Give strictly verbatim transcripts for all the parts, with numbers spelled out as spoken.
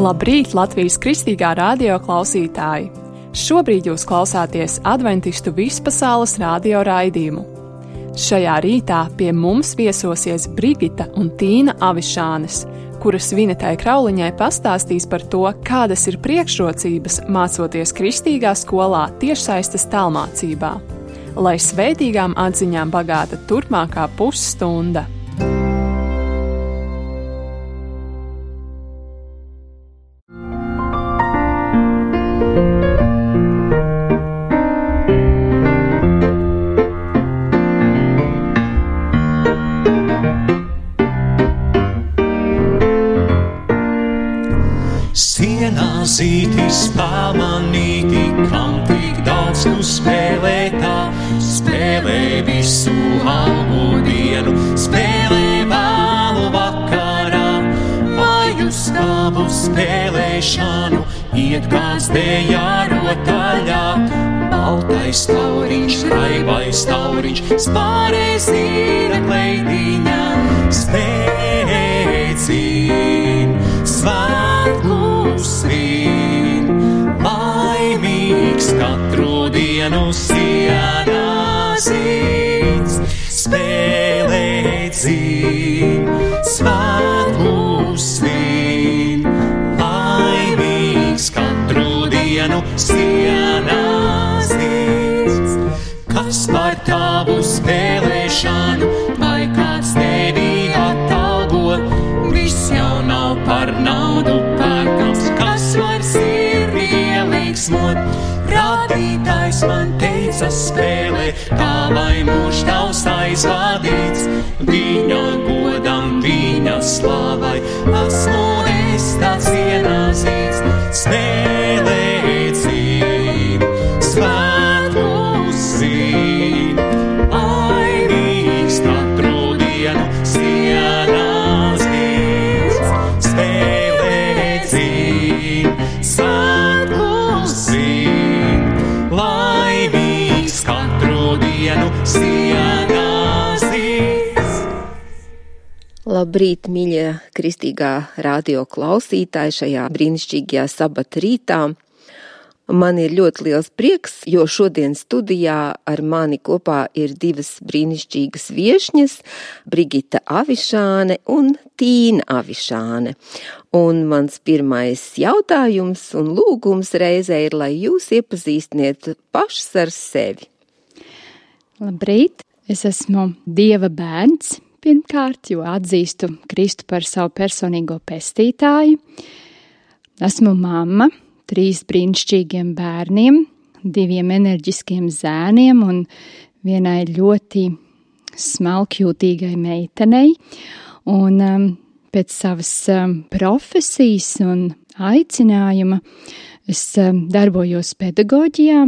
Labrīt, Latvijas Kristīgā radio klausītāji! Šobrīd jūs klausāties Adventistu vispasaules radio raidījumu. Šajā rītā pie mums viesosies Brigita un Tīna Avišānes, kuras Vinetai Krauliņai pastāstīs par to, kādas ir priekšrocības mācoties kristīgā skolā tiešsaistes tālmācībā. Lai svētīgām atziņām bagāta turpmākā pusstunda! Zītis pamanīti, kam tik daudz tu spēlē tā, spēlē visu algu dienu, spēlē vēlu vakarā, vai uz tavu spēlēšanu iet kāds dējā rotaļā. Baltais tauriņš, raibais tauriņš, spārē zīra kleidiņā, spēcīn, svētku svin, laimīgs katru dienu sienā zīts, spēlē dzīv, svētku svin, laimīgs katru dienu sienā zīts. Kas par tavu spēlēšanu, vai kāds tevi atalgo, viss jau nav par naudu pērkams, kas var sirdi ieliksmot. Radītājs man teica spēlē, kā lai mūžs tavs aizvadīts, viņa godam, viņa slavai, esmu es tāds ienāzīts, spēlē dzīv, svētku svin, laimīgs katru dienu sienā zīts, spēlē dzīv, svētku svin, laimīgs katru dienu sienā zīts. Labrīt, mīļie kristīgā radio klausītāji šajā brīnišķīgajā sabata rītā. Man ir ļoti liels prieks, jo šodien studijā ar mani kopā ir divas brīnišķīgas viešņas, Brigita Avišāne un Tīna Avišāne. Un mans pirmais jautājums un lūgums reizē ir, lai jūs iepazīstiniet pašas ar sevi. Labrīt, es esmu Dieva bērns pirmkārt, jo atzīstu Kristu par savu personīgo pestītāju. Esmu mamma trīs brīnišķīgiem bērniem, diviem enerģiskiem zēniem un vienai ļoti smalkjūtīgai meitenei. Un um, pēc savas um, profesijas un aicinājuma es um, darbojos pedagoģijā.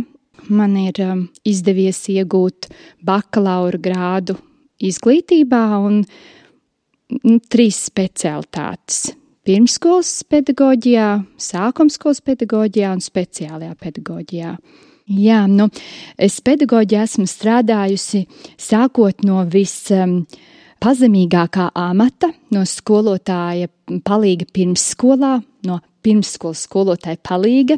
Man ir um, izdevies iegūt bakalaura grādu izglītībā un nu, trīs specialitātes. Pirmskolas pedagoģijā, sākumskolas pedagoģijā un speciālajā pedagoģijā. Jā, nu, es pedagoģijā esmu strādājusi sākot no vispazemīgākā amata, no skolotāja palīga pirmsskolā, no pirmsskolas skolotāja palīga.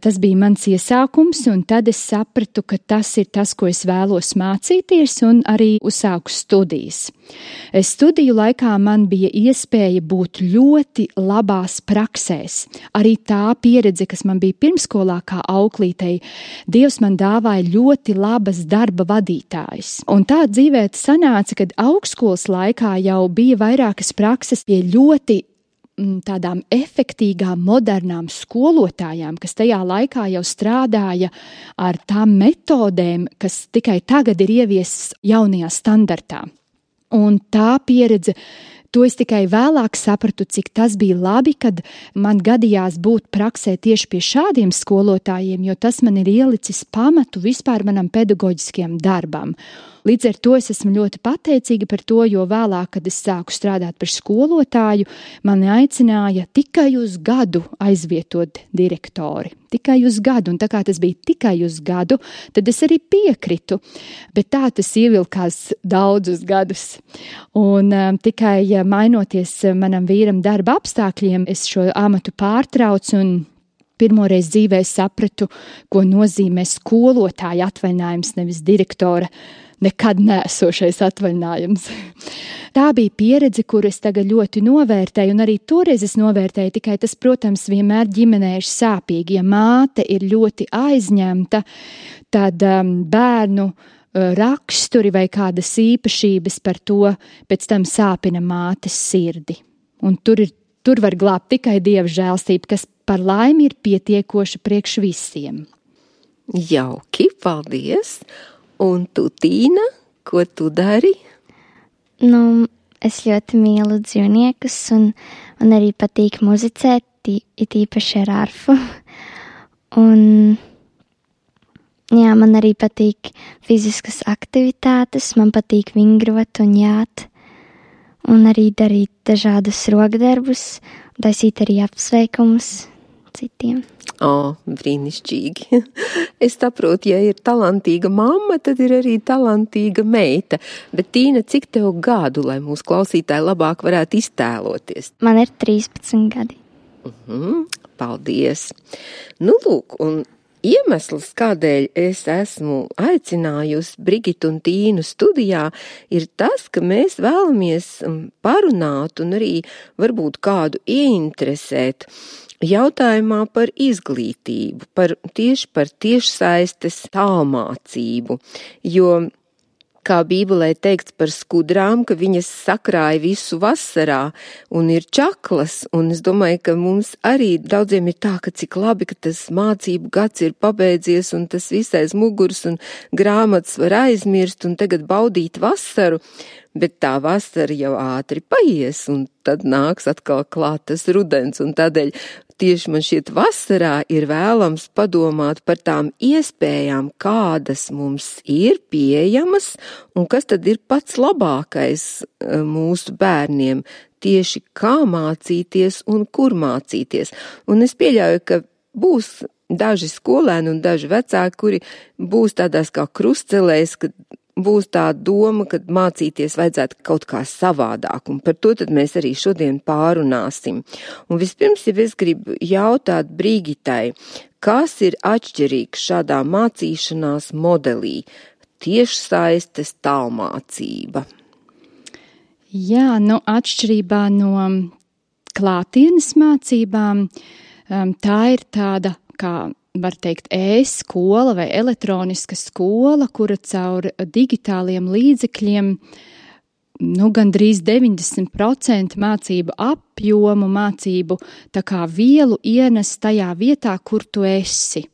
Tas bija mans iesākums, un tad es sapratu, ka tas ir tas, ko es vēlos mācīties, un arī uzsāku studijas. Studiju laikā man bija iespēja būt ļoti labās praksēs. Arī tā pieredze, kas man bija pirmskolā kā auklītei, Dievs man dāvāja ļoti labas darba vadītājas. Un tā dzīvē sanāca, kad augstskolas laikā jau bija vairākas prakses pie ļoti tādām efektīgām, modernām skolotājām, kas tajā laikā jau strādāja ar tām metodēm, kas tikai tagad ir ieviestas jaunajā standartā. Un tā pieredze, to es tikai vēlāk sapratu, cik tas bija labi, kad man gadījās būt praksē tieši pie šādiem skolotājiem, jo tas man ir ielicis pamatu vispār manam pedagoģiskajam darbam. Līdz ar to es esmu ļoti pateicīga par to, jo vēlāk, kad es sāku strādāt par skolotāju, mani aicināja tikai uz gadu aizvietot direktori. Tikai uz gadu, un tā kā tas bija tikai uz gadu, tad es arī piekritu, bet tā tas ievilkās daudzus gadus. Un um, tikai ja mainoties manam vīram darba apstākļiem, es šo amatu pārtraucu un pirmoreiz dzīvē sapratu, ko nozīmē skolotāja atvaļinājums, nevis direktora nekad neesošais atvaļinājums. Tā bija pieredze, kuru es tagad ļoti novērtēju, un arī toreiz es novērtēju, tikai tas, protams, vienmēr ģimenē ir sāpīgi. Ja māte ir ļoti aizņemta, tad um, bērnu uh, raksturi vai kādas īpašības par to pēc tam sāpina mātes sirdi. Un tur, ir, tur var glābt tikai Dieva žēlstība, kas par laimi ir pietiekoša priekš visiem. Jauki, paldies! Un tu, Tīna, ko tu dari? Nu, es ļoti mīlu dzīvniekus un man arī patīk muzicēt, it īpaši ar arfu. Un, jā, man arī patīk fiziskas aktivitātes, man patīk vingrot un jāt. Un arī darīt dažādus rokdarbus, taisīt arī apsveikumus citiem. O, brīnišķīgi. Es saprotu, ja ir talantīga mamma, tad ir arī talantīga meita. Bet, Tīna, cik tev gadu, lai mūsu klausītāji labāk varētu iztēloties? Man ir trīspadsmit gadi. Uh-huh, paldies. Nu, lūk, un iemesls, kādēļ es esmu aicinājusi Brigitu un Tīnu studijā, ir tas, ka mēs vēlamies parunāt un arī varbūt kādu ieinteresēt jautājumā par izglītību, par tieši par tiešsaistes tālmācību, jo, kā Bībelē teikts par skudrām, ka viņas sakrāja visu vasarā un ir čaklas, un es domāju, ka mums arī daudziem ir tā, ka cik labi, ka tas mācību gads ir pabeidzies un tas visais muguras un grāmatas var aizmirst un tagad baudīt vasaru, bet tā vasara jau ātri paies un tad nāks atkal klāt tas rudens, un tādēļ tieši man šķiet vasarā ir vēlams padomāt par tām iespējām, kādas mums ir pieejamas un kas tad ir pats labākais mūsu bērniem, tieši kā mācīties un kur mācīties. Un es pieļauju, ka būs daži skolēni un daži vecāki, kuri būs tādās kā krustcelēs, kad būs tā doma, ka mācīties vajadzētu kaut kā savādāk, un par to tad mēs arī šodien pārunāsim. Un vispirms, ja es gribu jautāt Brigitai, kas ir atšķirīgs šādā mācīšanās modelī? Tiešsaistes tālmācība. Jā, nu atšķirībā no klātienes mācībām, tā ir tāda kā var teikt, e-skola vai elektroniska skola, kura caur digitāliem līdzekļiem nu, gandrīz deviņdesmit procenti mācību apjomu, mācību tā kā vielu ienes tajā vietā, kur tu esi.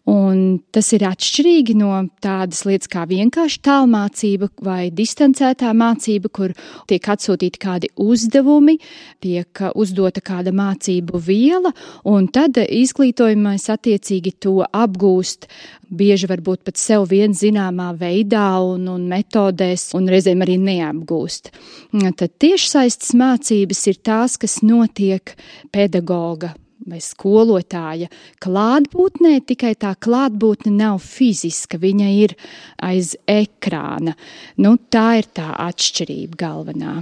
Un tas ir atšķirīgi no tādas lietas kā vienkārši tālmācība vai distancētā mācība, kur tiek atsūtīti kādi uzdevumi, tiek uzdota kāda mācību viela, un tad izglītojumais attiecīgi to apgūst bieži varbūt pat sev vien zināmā veidā un, un metodēs, un reizēm arī neapgūst. Tad tiešsaistes mācības ir tās, kas notiek pedagoga vai skolotāja klātbūtnē, tikai tā klātbūtne nav fiziska, viņa ir aiz ekrāna. Nu, tā ir tā atšķirība galvenā.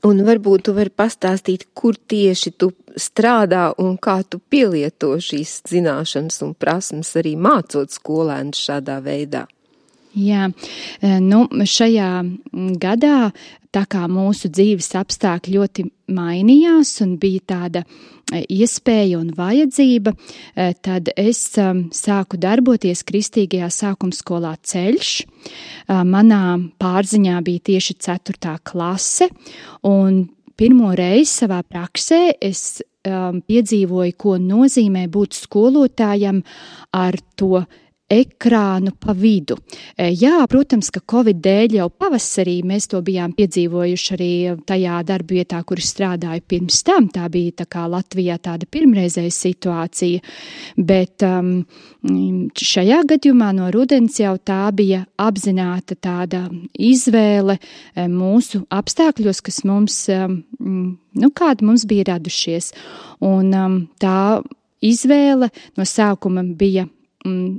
Un varbūt tu vari pastāstīt, kur tieši tu strādā un kā tu pielieto šīs zināšanas un prasmes arī mācot skolēnus šādā veidā. Jā, nu šajā gadā, tā kā mūsu dzīves apstākļi ļoti mainījās un bija tāda iespēja un vajadzība, tad es sāku darboties Kristīgajā sākumskolā Ceļš. Manā pārziņā bija tieši ceturtā klase, un pirmo reizi savā praksē es piedzīvoju, ko nozīmē būt skolotājam ar to ekrānu pa vidu. Jā, protams, ka Covid dēļ jau pavasarī mēs to bijām piedzīvojuši arī tajā darbvietā, kur strādāju pirms tam. Tā bija tā kā Latvijā tāda pirmreizēja situācija, bet um, šajā gadījumā no rudens jau tā bija apzināta tāda izvēle mūsu apstākļos, kas mums, um, nu, kādi mums bija radušies. Un um, tā izvēle no sākuma bija mm,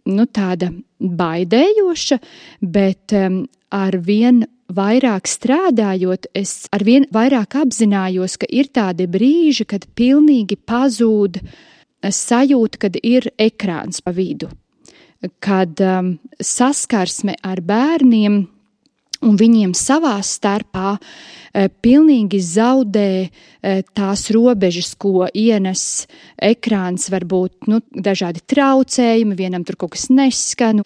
nu, tāda baidējoša, bet um, ar vien vairāk strādājot, es ar vien vairāk apzinājos, ka ir tādi brīži, kad pilnīgi pazūd sajūta, kad ir ekrāns pa vidu, kad um, saskarsme ar bērniem un viņiem savā starpā e, pilnīgi zaudē e, tās robežas, ko ienes ekrāns, varbūt nu, dažādi traucējumi, vienam tur kaut kas neskan.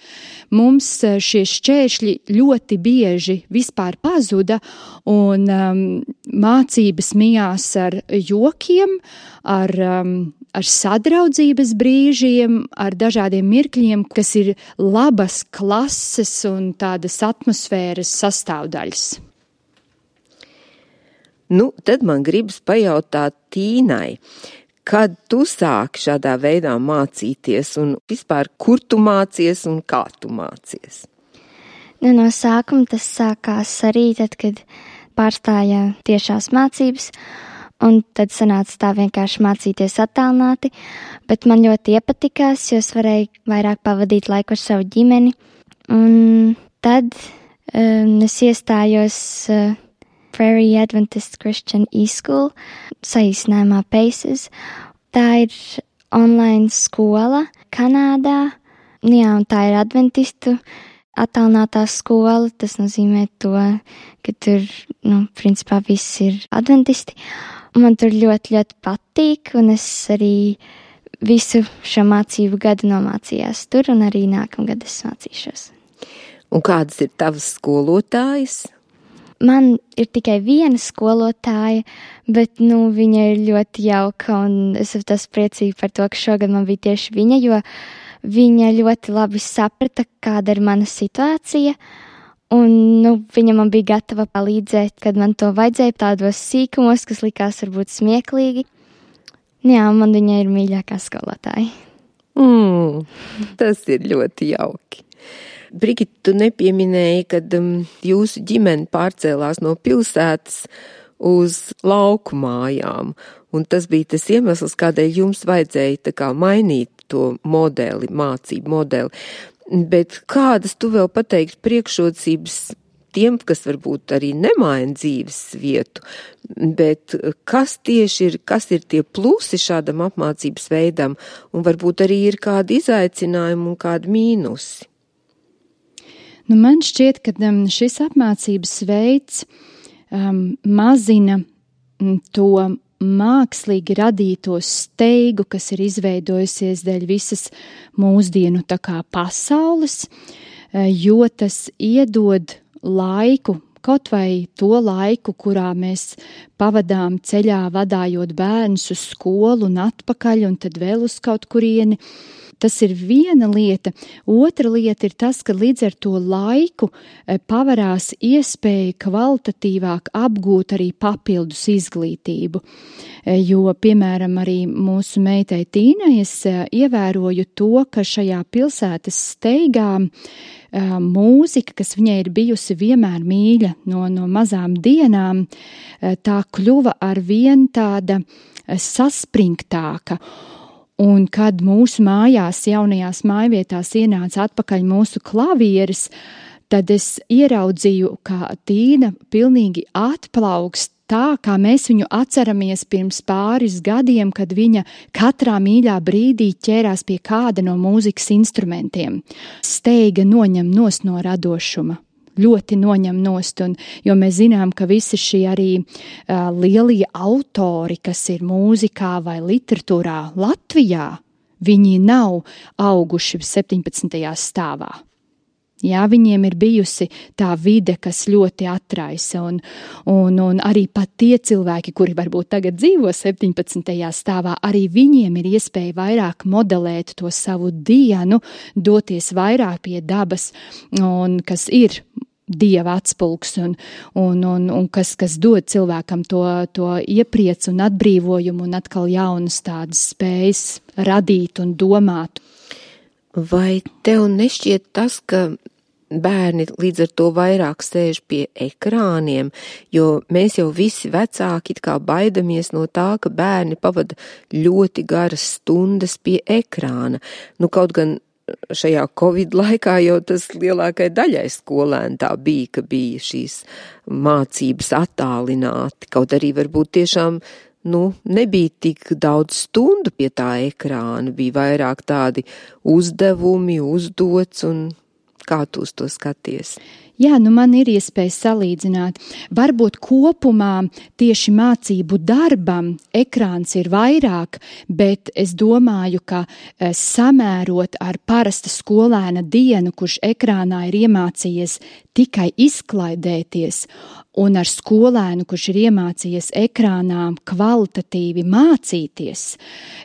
Mums e, šie šķēršļi ļoti bieži vispār pazuda, un um, mācības mijās ar jokiem, ar, um, ar sadraudzības brīžiem, ar dažādiem mirkļiem, kas ir labas klases un tādas atmosfēras sastāvdaļas. Nu, tad man gribas pajautāt Tīnai, kad tu sāki šādā veidā mācīties un vispār, kur tu mācies un kā tu mācies? Nu, no sākuma tas sākās arī tad, kad pārstāja tiešās mācības, un tad sanāca tā vienkārši mācīties attālināti, bet man ļoti iepatikās, jo es varēju vairāk pavadīt laiku ar savu ģimeni. Un tad um, es iestājos uh, Prairie Adventist Christian E-School, saīsinājumā PACES. Tā ir online skola Kanādā, jā, un tā ir adventistu attālinātā skola. Tas nozīmē to, ka tur, nu, principā viss ir adventisti. Man tur ļoti, ļoti patīk, un es arī visu šo mācību gadu nomācījās tur, un arī nākamgad es mācīšos. Un kādas ir tavas skolotājas? Man ir tikai viena skolotāja, bet, nu, viņa ir ļoti jauka, un es esmu tas priecīgi par to, ka šogad man bija tieši viņa, jo viņa ļoti labi saprata, kāda ir mana situācija, un, nu, viņa man bija gatava palīdzēt, kad man to vajadzēja tādos sīkumos, kas likās varbūt smieklīgi. Jā, man viņa ir mīļākā skolotāja. Mm, tas ir ļoti jauki. Brigita, tu nepieminēji, kad um, jūsu ģimene pārcēlās no pilsētas uz lauku mājām, un tas bija tas iemesls, kādēļ jums vajadzēja tā kā mainīt to modeli, mācību modeli. Bet kādas tu vēl pateiktu priekšrocības tiem, kas varbūt arī nemaina dzīves vietu, bet kas tieši ir, kas ir tie plusi šādam apmācības veidam, un varbūt arī ir kādi izaicinājumi un kādi mīnusi? Nu, man šķiet, ka um, šis apmācības veids um, mazina um, to mākslīgi radīto steigu, kas ir izveidojusies dēļ visas mūsdienu tā kā pasaules, jo tas iedod laiku, kaut vai to laiku, kurā mēs pavadām ceļā vadājot bērnus uz skolu un atpakaļ un tad vēl uz kaut kurieni. Tas ir viena lieta. Otra lieta ir tas, ka līdz ar to laiku pavarās iespēja kvalitatīvāk apgūt arī papildus izglītību. Jo, piemēram, arī mūsu meitai Tīnai es ievēroju to, ka šajā pilsētas steigā mūzika, kas viņai ir bijusi vienmēr mīļa no, no mazām dienām, tā kļuva ar vien tāda saspringtāka. Un kad mūsu mājās, jaunajās mājvietās ienāca atpakaļ mūsu klavieres, tad es ieraudzīju, kā Tīna pilnīgi atplaukst tā, kā mēs viņu atceramies pirms pāris gadiem, kad viņa katrā mīļā brīdī ķērās pie kāda no mūzikas instrumentiem. Steiga noņem nost no radošuma. Ļoti noņem nost, un, jo mēs zinām, ka visi šie arī uh, lielie autori, kas ir mūzikā vai literatūrā Latvijā, viņi nav auguši septiņpadsmitajā stāvā. Jā, viņiem ir bijusi tā vide, kas ļoti atraisa, un, un, un arī pat tie cilvēki, kuri varbūt tagad dzīvo septiņpadsmitajā stāvā, arī viņiem ir iespēja vairāk modelēt to savu dienu, doties vairāk pie dabas, un kas ir Dieva atspulgs, un, un, un, un kas, kas dod cilvēkam to, to iepriecu un atbrīvojumu, un atkal jaunas tādas spējas radīt un domāt. Vai tev nešķiet tas, ka bērni līdz ar to vairāk sēž pie ekrāniem, jo mēs jau visi vecāki it kā baidamies no tā, ka bērni pavada ļoti garas stundas pie ekrāna. Nu, kaut gan šajā Covid laikā jau tas lielākai daļai skolēni tā bija, ka bija šīs mācības attālināti, kaut arī varbūt tiešām nu, nebija tik daudz stundu pie tā ekrāna, bija vairāk tādi uzdevumi, uzdots, un kā tu uz to skaties? Jā, nu man ir iespēja salīdzināt. Varbūt kopumā tieši mācību darbam ekrāns ir vairāk, bet es domāju, ka samērot ar parasta skolēna dienu, kurš ekrānā ir iemācījies tikai izklaidēties, un ar skolēnu, kurš ir iemācījies ekrānā kvalitatīvi mācīties,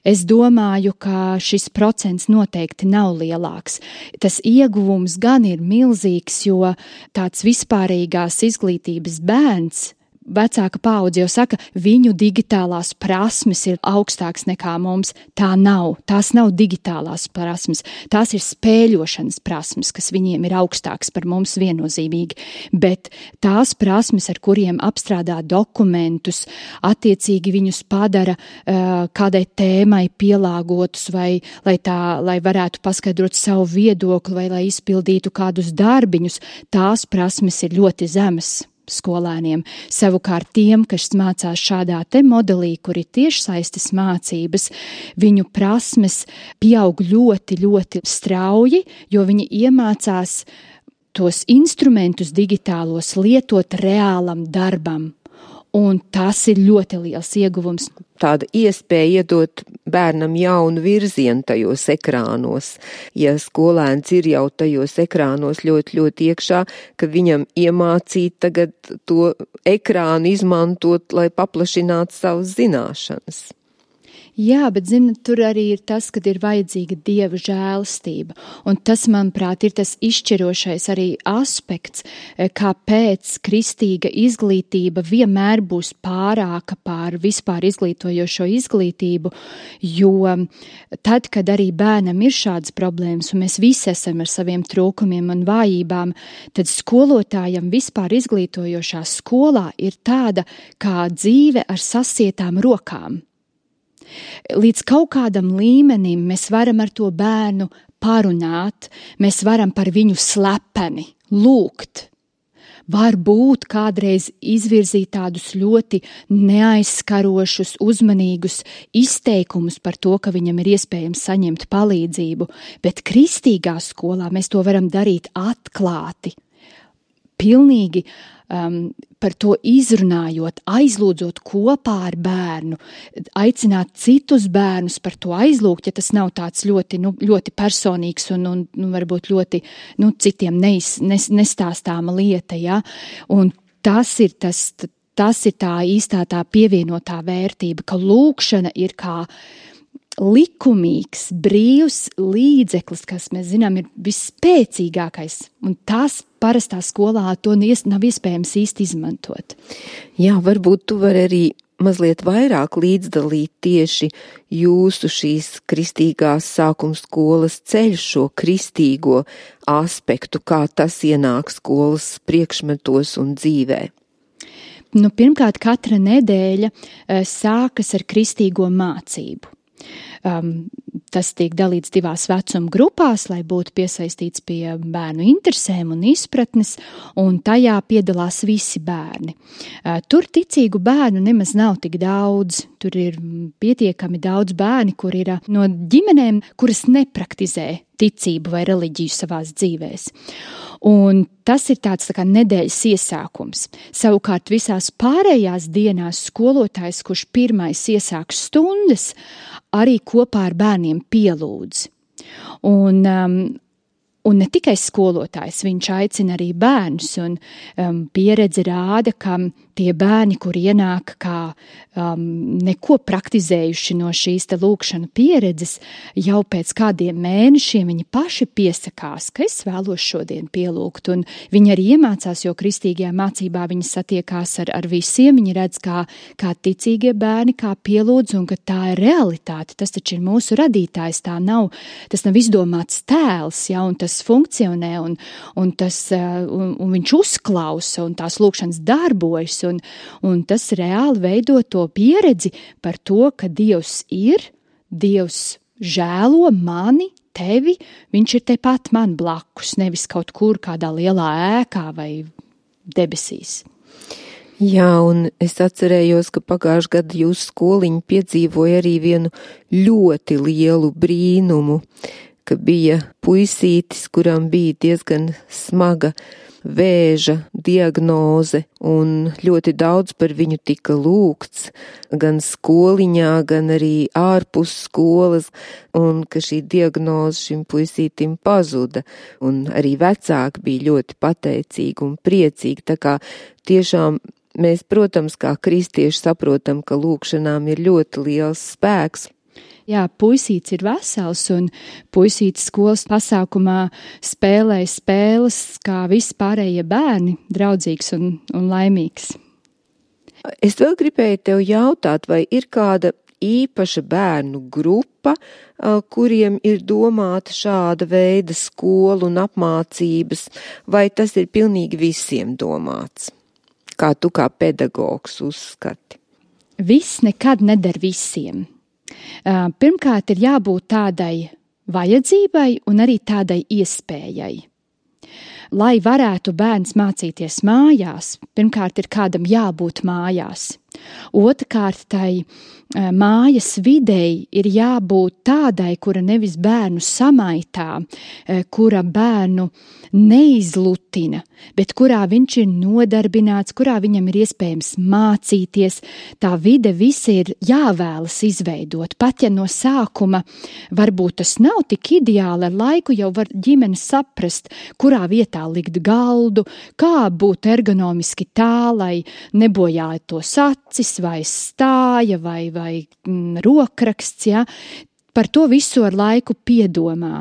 es domāju, ka šis procents noteikti nav lielāks. Tas ieguvums gan ir milzīgs, jo tāds vispārīgās izglītības bērns, vecāka paudze jau saka, viņu digitālās prasmes ir augstāks nekā mums. Tā nav. Tās nav digitālās prasmes. Tās ir spēļošanas prasmes, kas viņiem ir augstāks par mums viennozīmīgi. Bet tās prasmes, ar kuriem apstrādā dokumentus, attiecīgi viņus padara uh, kādai tēmai pielāgotus, vai lai, tā, lai varētu paskaidrot savu viedokli, vai lai izpildītu kādus darbiņus, tās prasmes ir ļoti zemas skolēniem. Savukārt tiem, kas mācās šādā te modelī, kur ir tiešsaistes mācības, viņu prasmes pieaug ļoti, ļoti strauji, jo viņi iemācās tos instrumentus digitālos lietot reālam darbam. Un tas ir ļoti liels ieguvums. Tāda iespēja iedot bērnam jaunu virzienu tajos ekrānos. Ja skolēns ir jau tajos ekrānos ļoti, ļoti iekšā, ka viņam iemācīt tagad to ekrānu izmantot, lai paplašinātu savas zināšanas. Jā, bet, zini, tur arī ir tas, kad ir vajadzīga Dieva žēlastība. Un tas, manuprāt, ir tas izšķirošais arī aspekts, kāpēc kristīga izglītība vienmēr būs pārāka pār vispār izglītojošo izglītību, jo tad, kad arī bērnam ir šādas problēmas, un mēs visi esam ar saviem trūkumiem un vājībām, tad skolotājam vispār izglītojošā skolā ir tāda kā dzīve ar sasietām rokām. Līdz kaut kādam līmenim mēs varam ar to bērnu parunāt, mēs varam par viņu slepeni lūgt. Varbūt kādreiz izvirzīt tādus ļoti neaizskarošus, uzmanīgus izteikumus par to, ka viņam ir iespējams saņemt palīdzību, bet kristīgā skolā mēs to varam darīt atklāti, pilnīgi um, par to izrunājot, aizlūdzot kopā ar bērnu, aicināt citus bērnus par to aizlūgt, ja tas nav tāds ļoti, nu, ļoti personīgs un, un nu, varbūt ļoti nu, citiem neiz, nes, nestāstāma lieta. Ja? Un tas ir, tas, tas ir tā īstā tā pievienotā vērtība, ka lūkšana ir kā likumīgs, brīvs līdzeklis, kas, mēs zinām, ir visspēcīgākais, un tas parastā skolā to nav iespējams īsti izmantot. Jā, varbūt tu vari arī mazliet vairāk līdzdalīt tieši jūsu šīs kristīgās sākuma skolas ceļu, šo kristīgo aspektu, kā tas ienāk skolas priekšmetos un dzīvē. Nu, pirmkārt, katra nedēļa uh, sākas ar kristīgo mācību. Um, tas tiek dalīts divās vecuma grupās, lai būtu piesaistīts pie bērnu interesēm un izpratnes, un tajā piedalās visi bērni. Uh, tur ticīgu bērnu nemaz nav tik daudz, tur ir pietiekami daudz bērni, kur ir no ģimenēm, kuras nepraktizē ticību vai reliģiju savās dzīvēs. Un tas ir tāds tā kā nedēļas iesākums. Savukārt visās pārējās dienās skolotājs, kurš pirmais iesāk stundas, arī kopā ar bērniem pielūdz. Un um, Un ne tikai skolotājs, viņš aicina arī bērnus, un um, pieredze rāda, ka tie bērni, kur ienāk kā um, neko praktizējuši no šīs te lūkšana pieredzes, jau pēc kādiem mēnešiem viņi paši piesakās, ka es vēlos šodien pielūgt, un viņi arī iemācās, jo kristīgajā mācībā viņi satiekās ar, ar visiem, viņi redz, kā, kā ticīgie bērni, kā pielūdz, un ka tā ir realitāte, tas taču ir mūsu radītājs, tā nav, tas nav izdomāts tēls, ja, un tas funkcionē, un, un, tas, un, un viņš uzklausa, un tās lūkšanas darbojas, un, un tas reāli veido to pieredzi par to, ka Dievs ir, Dievs žēlo mani, tevi, viņš ir tepat man blakus, nevis kaut kur kādā lielā ēkā vai debesīs. Jā, un es atcerējos, ka pagājušajā gadā jūsu skoliņa piedzīvoja arī vienu ļoti lielu brīnumu, ka bija puisītis, kuram bija diezgan smaga vēža diagnoze, un ļoti daudz par viņu tika lūgts, gan skoliņā, gan arī ārpus skolas, un ka šī diagnoze šim puisītim pazuda, un arī vecāki bija ļoti pateicīgi un priecīgi, tā kā tiešām mēs, protams, kā kristieši saprotam, ka lūkšanām ir ļoti liels spēks. Jā, puisīts ir vesels, un puisīts skolas pasākumā spēlēja spēles, kā visi pārējie bērni, draudzīgs un, un laimīgs. Es vēl gribēju tev jautāt, vai ir kāda īpaša bērnu grupa, kuriem ir domāta šāda veida skola un apmācības, vai tas ir pilnīgi visiem domāts? Kā tu kā pedagogs uzskati? Viss nekad neder visiem. Pirmkārt, ir jābūt tādai vajadzībai un arī tādai iespējai. Lai varētu bērns mācīties mājās, pirmkārt ir kādam jābūt mājās. Otrkārt, tai mājas videi ir jābūt tādai, kura nevis bērnu samaitā, kura bērnu neizlutina, bet kurā viņš ir nodarbināts, kurā viņam ir iespējams mācīties. Tā vide visi ir jāvēlas izveidot. Pat ja no sākuma varbūt tas nav tik ideāli, ar laiku jau var ģimene saprast, kurā vietā likt galdu, kā būt ergonomiski tā, lai nebojātos acis vai stāja vai, vai mm, rokraksts, ja. Par to visu ar laiku piedomā,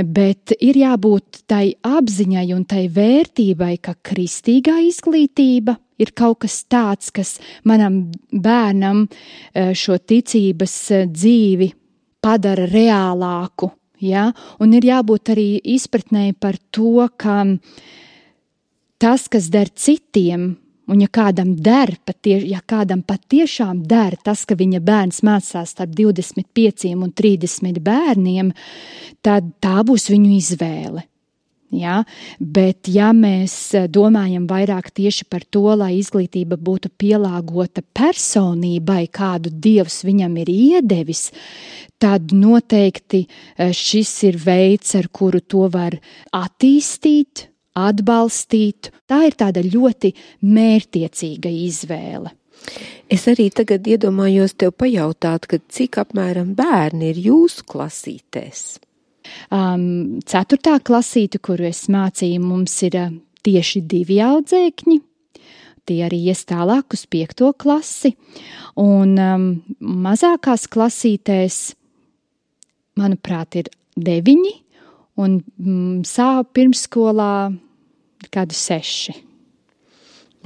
bet ir jābūt tai apziņai un tai vērtībai, ka kristīgā izglītība ir kaut kas tāds, kas manam bērnam šo ticības dzīvi padara reālāku, ja? Un ir jābūt arī izpratnēji par to, ka tas, kas der citiem, un ja kādam der, patie, ja kādam patiešām der tas, ka viņa bērns mācās starp divdesmit pieciem un trīsdesmit bērniem, tad tā būs viņu izvēle. Ja? Bet ja mēs domājam vairāk tieši par to, lai izglītība būtu pielāgota personībai, kādu Dievs viņam ir iedevis, tad noteikti šis ir veids, ar kuru to var attīstīt, atbalstīt. Tā ir tāda ļoti mērķtiecīga izvēle. Es arī tagad iedomājos tev pajautāt, ka cik apmēram bērni ir jūsu klasītēs? Um, ceturtā klasīte, kuru es mācīju, mums ir uh, tieši divi audzēkņi. Tie arī ies tālāk uz piekto klasi. Un um, mazākās klasītēs, manuprāt, ir deviņi. Un mm, sāp pirmsskolā kādu seši.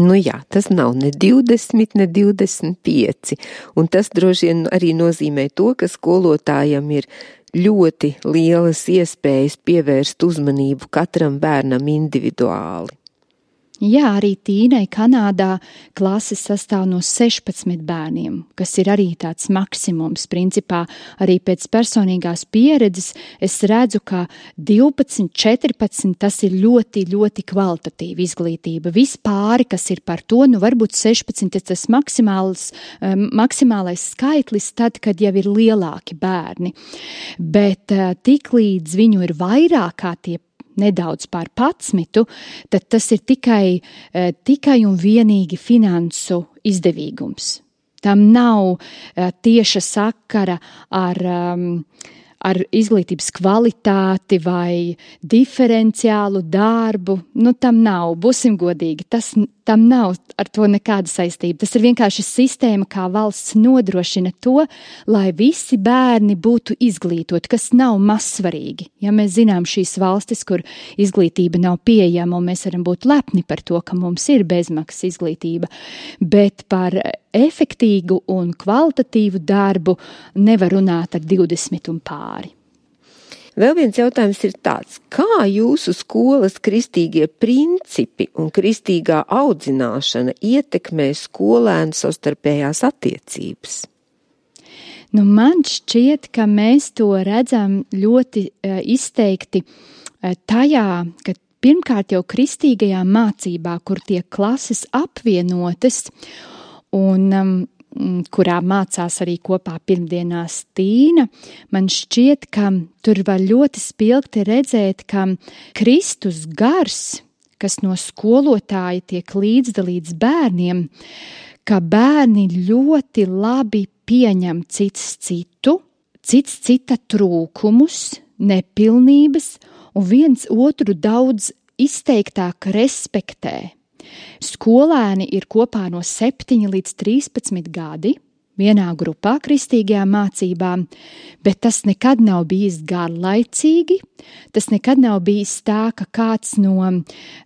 Nu jā, tas nav ne divdesmit, ne divdesmit pieci. Un tas droši vien arī nozīmē to, ka skolotājam ir ļoti lielas iespējas pievērst uzmanību katram bērnam individuāli. Jā, arī Tīnai Kanādā klases sastāv no sešpadsmit bērniem, kas ir arī tāds maksimums. Principā arī pēc personīgās pieredzes es redzu, ka divpadsmit, četrpadsmit tas ir ļoti, ļoti kvalitatīva izglītība. Vispāri, kas ir par to, nu varbūt sešpadsmit ir tas maksimāls, um, maksimālais skaitlis tad, kad jau ir lielāki bērni. Bet uh, tik līdz viņu ir vairāk kā tie nedaudz pār padsmitu, tad tas ir tikai, uh, tikai un vienīgi finansu izdevīgums. Tam nav uh, tieša sakara ar, um, ar izglītības kvalitāti vai diferenciālu darbu, nu tam nav, būsim godīgi, tas, tam nav ar to nekāda saistība. Tas ir vienkārši sistēma, kā valsts nodrošina to, lai visi bērni būtu izglītoti, kas nav mazsvarīgi. Ja mēs zinām šīs valstis, kur izglītība nav pieejama, un mēs varam būt lepni par to, ka mums ir bezmaksas izglītība, bet par efektīgu un kvalitatīvu darbu nevar runāt ar divdesmit un pāri. Vēl viens jautājums ir tāds, kā jūsu skolas kristīgie principi un kristīgā audzināšana ietekmē skolēnu savstarpējās attiecības? Nu, man šķiet, ka mēs to redzam ļoti uh, izteikti uh, tajā, ka pirmkārt jau kristīgajā mācībā, kur tiek klases apvienotas un um, kurā mācās arī kopā pirmdienās Tīna, man šķiet, ka tur var ļoti spilgti redzēt, ka Kristus gars, kas no skolotāja tiek līdzdalīts bērniem, ka bērni ļoti labi pieņem cits citu, cits cita trūkumus, nepilnības un viens otru daudz izteiktāk respektē. Skolēni ir kopā no septiņi līdz trīspadsmit gadi vienā grupā kristīgajā mācībā, bet tas nekad nav bijis garlaicīgi, tas nekad nav bijis tā, ka kāds no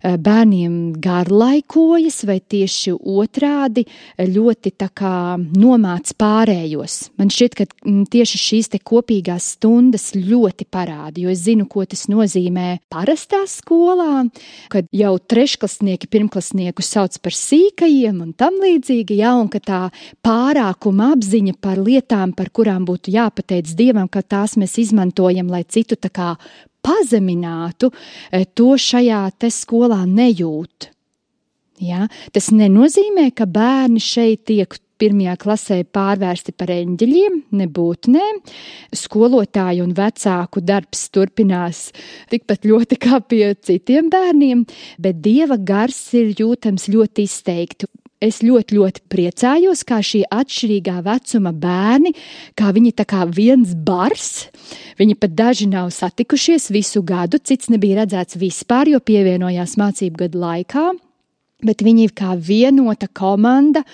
bērniem garlaikojas vai tieši otrādi ļoti tā kā nomāc pārējos. Man šķiet, ka tieši šīs te kopīgās stundas ļoti parāda, jo es zinu, ko tas nozīmē parastā skolā, kad jau trešklasnieki pirmklasnieku sauc par sīkajiem un tam līdzīgi, ja, un ka tā pārākuma apziņa par lietām, par kurām būtu jāpateic Dievam, ka tās mēs izmantojam, lai citu tā kā pazeminātu, to šajā te skolā nejūt. Ja? Tas nenozīmē, ka bērni šeit tiek pirmajā klasē pārvērsti par eņģeļiem, nebūtu, nē. Skolotāju un vecāku darbs turpinās tikpat ļoti kā pie citiem bērniem, bet Dieva gars ir jūtams ļoti izteikti. Es ļoti, ļoti priecājos, kā šī atšķirīgā vecuma bērni, kā viņi tā kā viens bars, viņi pat daži nav satikušies visu gadu, cits nebija redzēts vispār, jo pievienojās mācību gadu laikā. Bet viņi kā vienota komanda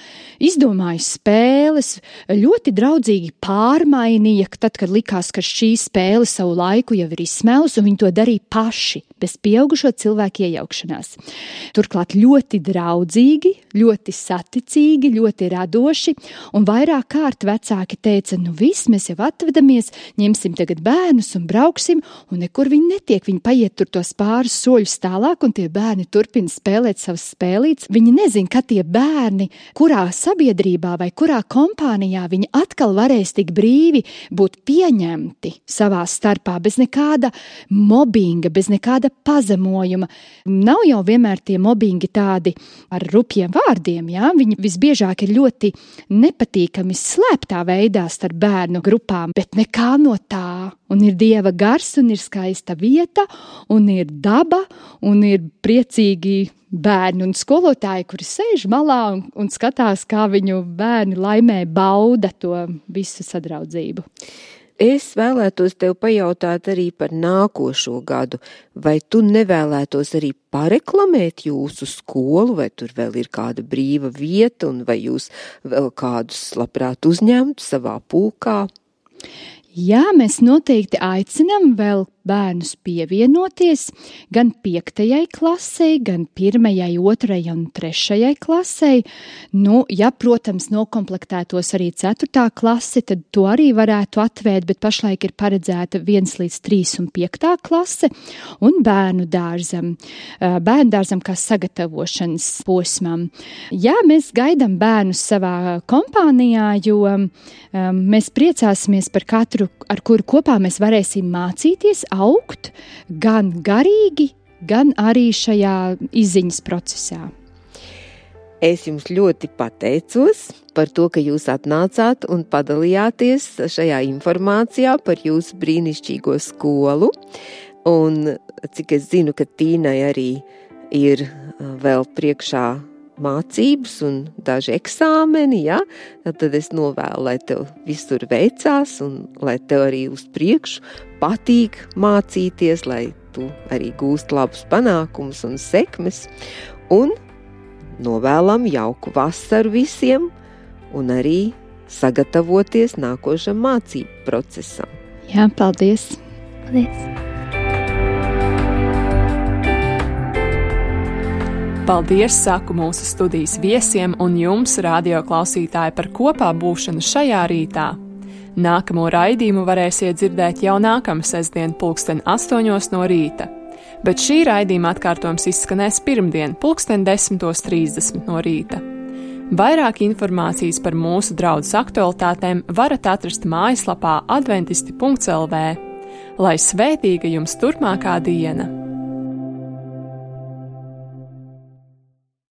izdomāja spēles, ļoti draudzīgi pārmainīja, tad, kad likās, ka šī spēle savu laiku jau ir izsmēlus, un viņi to darīja paši, bez pieaugušo cilvēku iejaukšanās. Turklāt ļoti draudzīgi, ļoti saticīgi, ļoti radoši, un vairāk kārt vecāki teica, nu viss, mēs jau atvedamies, ņemsim tagad bērnus un brauksim, un nekur viņi netiek, viņi paiet tur tos pāris soļus tālāk, un tie bērni turpina spēlēt savas spēles. Viņi nezin, ka tie bērni, kurā sabiedrībā vai kurā kompānijā viņi atkal varēs tik brīvi būt pieņemti savā starpā, bez nekāda mobbinga, bez nekāda pazemojuma. Nav jau vienmēr tie mobbingi tādi ar rupjiem vārdiem, jā? Viņi visbiežāk ir ļoti nepatīkami slēptā veidā starp bērnu grupām, bet nekā no tā. Un ir Dieva gars, un ir skaista vieta, un ir daba, un ir priecīgi bērni un skolotāji, kuri sēž malā un, un skatās, kā viņu bērni laimē bauda to visu sadraudzību. Es vēlētos tev pajautāt arī par nākošo gadu. Vai tu nevēlētos arī pareklamēt jūsu skolu, vai tur vēl ir kāda brīva vieta, un vai jūs vēl kādus labprāt uzņemtu savā pulkā? Jā, mēs noteikti aicinām vēl bērnus pievienoties gan piektajai klasei, gan pirmajai, otrajai un trešajai klasei. Nu, ja, protams, nokomplektētos arī ceturtā klase, tad to arī varētu atvērt, bet pašlaik ir paredzēta viens līdz trīs un piektā klase un bērnu dārzam, bērnu dārzam kā sagatavošanas posmam. Jā, mēs gaidām bērnus savā kompānijā, jo um, mēs priecāsimies par katru, ar kuru kopā mēs varēsim mācīties, augt gan garīgi, gan arī šajā izziņas procesā. Es jums ļoti pateicos par to, ka jūs atnācāt un padalījāties šajā informācijā par jūsu brīnišķīgo skolu. Un cik es zinu, ka Tīnai arī ir vēl priekšā mācības un daži eksāmeni, ja? Tad es novēlu, lai tev visur veicās un lai tev arī uz priekšu patīk mācīties, lai tu arī gūst labus panākumus un sekmes. Un novēlam jauku vasaru visiem un arī sagatavoties nākošam mācību procesam. Jā, paldies! Paldies! Paldies, saku mūsu studijas viesiem un jums, radio klausītāji, par kopā būšanu šajā rītā. Nākamo raidījumu varēsiet dzirdēt jau nākamā sestdien pulksten astoņos no rīta, bet šī raidījuma atkārtojums izskanēs pirmdien pulksten desmitos trīsdesmit no rīta. Vairāk informācijas par mūsu draudzes aktualitātēm varat atrast mājaslapā adventisti punkts el vē. Lai svētīga jums turpmākā diena!